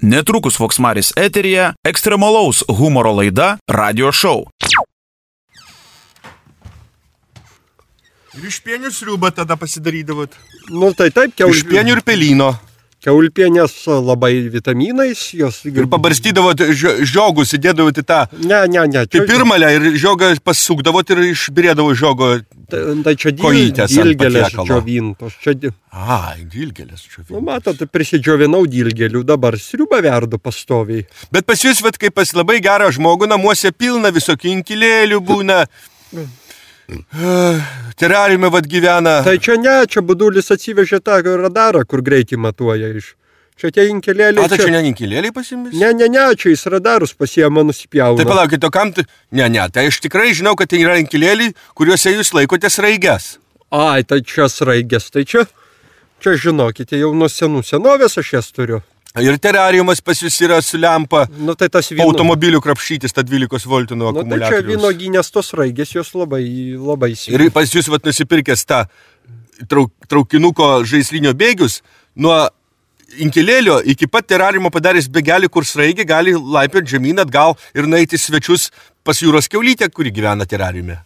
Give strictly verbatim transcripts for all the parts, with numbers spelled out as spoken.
Netrukus Voksmaris eteryje ekstremalaus humoro laida Radio Show. Ir iš pienių sriubą tada pasidarydavot? Nu tai taip, Iš pienių ir pelyno. Kiaulpienės labai vitaminais, jos... Ir pabarstydavot žio- žiogus, įdėdavot į tą... Ne, ne, ne. Tai pirmalę ir žiogą pasukdavot ir išbirėdavo žiogo Tai čia dil, kojytės ant dilgelės patiekalo. džiovintos. Čia, di- Ai, dilgelės nu, džiovintos. matot, prisidžiovinau dilgelių, dabar sriubą verdu pastoviai. Bet pas jūs, vat, kaip pas labai gerą žmogų, namuose pilna visokių inkilėlių būna. Terariume vat gyvena. Tai čia ne, čia budulis atsivežė tą radarą, kur greitį matuoja iš. Čia tie inkilėliai. O tai čia ne inkilėliai pasimis? Ne, ne, ne, čia jis radarus pasiema nusipjauna. Tai palaukit, o kam tu... Ne, ne, tai aš tikrai žinau, kad tai yra inkilėliai, kuriuose jūs laikote sraiges. Ai, tai čia sraigės, tai čia, čia žinokite, jau nuo senų senovės aš jas turiu. Ir terariumas pas jūs yra su lempa. Nu tai tas vyno... Automobilių krapšytis, tą dvylikos voltų nuo Nu tai čia akumuliatoriaus. vynoginės tos raigės, jos labai, labai Ir sveika. pas jūs vat nusipirkęs tą trauk, traukinuko žaislinio bėgius, nuo inkilėlio iki pat terariumo padaręs bėgelį, kur sraigė gali laipioti žemyn atgal ir nueiti svečius pas jūros kiaulytę, kuri gyvena terariume.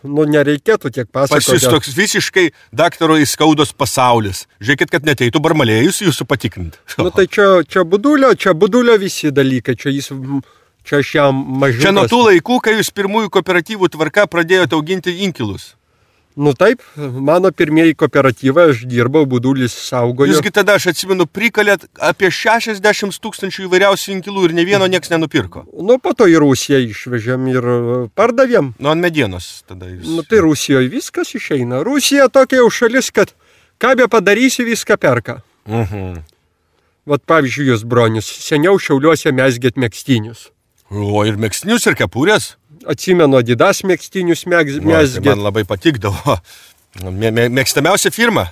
Nu nereikėtų tiek Pas pasakoti. jūs toks visiškai daktaro įskaudos pasaulis. Žiūrėkit, kad neteitų barmalėjus jūsų patikrinti. Nu tai čia, čia budulio, čia budulio visi dalykai, čia jis, čia aš jam mažiukas. Čia nuo tų laikų, kai jūs pirmųjų kooperatyvų tvarka pradėjote auginti inkilus. Nu taip, mano pirmieji kooperatyvai, aš dirbau, budulis saugojo. Jūsgi tada, aš atsimenu, prikalėt apie šešiasdešimt tūkstančių įvairiausių inkilų ir ne vieno nieks nenupirko. Nu po to į Rusiją išvežėm ir pardavėm. Nu, ant medienos tada jūs. Nu tai Rusijoje viskas išeina. Rusija tokia jau šalis, kad ką be padarysi, viską perka. Mhm. Vat pavyzdžiui, jūs bronius, seniau Šiauliuose mesgėt megstinius. O ir megstinius, ir kepurės. Atsimenu, Adidas megstinius mes, O, tai mesgėt. man labai patikdavo. Mė- mė- Mėgstamiausia firma.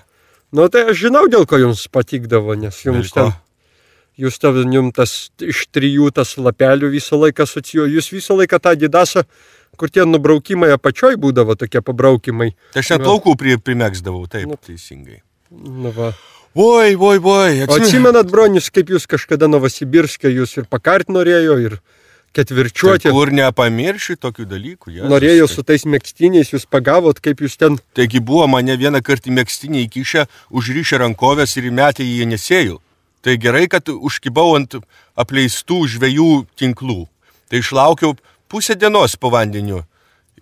Nu tai aš žinau, dėl ko jums patikdavo, nes jums Dėl ko? ten, jūs ten, jums tas iš trijų tas lapelių visą laiką asocijuoju, jūs visą laiką tą Adidasą, kur tie nubraukimai apačioj būdavo, tokie pabraukimai. Tai aš net Nu. plaukų pri, primėgsdavau, taip, Nu. teisingai. Nu va. Oi, oi, oi. O atsimenat, bronius, kaip jūs kažkada Novosibirske, jūs ir pakart norėjo, ir ketvirčiuoti. Tai kur nepamirši tokių dalykų. Jėzus, Norėjo tai- su tais megstiniais, jūs pagavot, kaip jūs ten... Taigi buvo mane vieną kartą į megztinį įkišę, užrišę rankovės ir įmetę į Jenisėjų. Tai gerai, kad užkibau ant apleistų žvejų tinklų. Tai išlaukiau pusę dienos po vandeniu.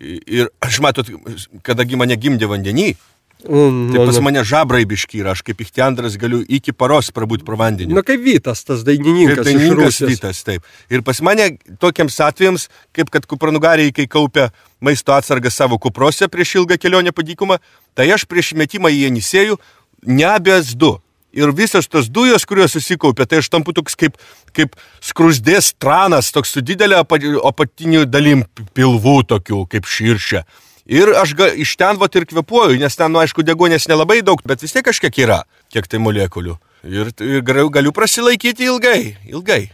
Ir aš matot, kadagi mane gimdė vandenį, Mm, tai pas nu, mane žabrai biški ir aš kaip ichtiandras galiu iki paros prabūti pro vandenį. nu kaip Vytas, tas Kaip dainininkas iš dainininkas Rusijos. Vytas, taip. Ir pas mane tokiems atvejams, kaip kad kupranugariai, kai kaupia maisto atsargas savo kuprose prieš ilgą kelionę po dykumą, tai aš prieš metimą į Jenisėjų neabės du. Ir visos tos dujos, kurios susikaupia, tai aš tampu toks kaip, kaip skrusdės tranas, toks su didelė apatinių dalim pilvų tokių, kaip širšia. Ir aš ga, iš ten vat ir kvepuoju, nes ten, nu, aišku, degonės nelabai daug, bet vis tiek kažkiek yra, kiek tai molekulių. Ir, ir galiu, galiu prasilaikyti ilgai, ilgai.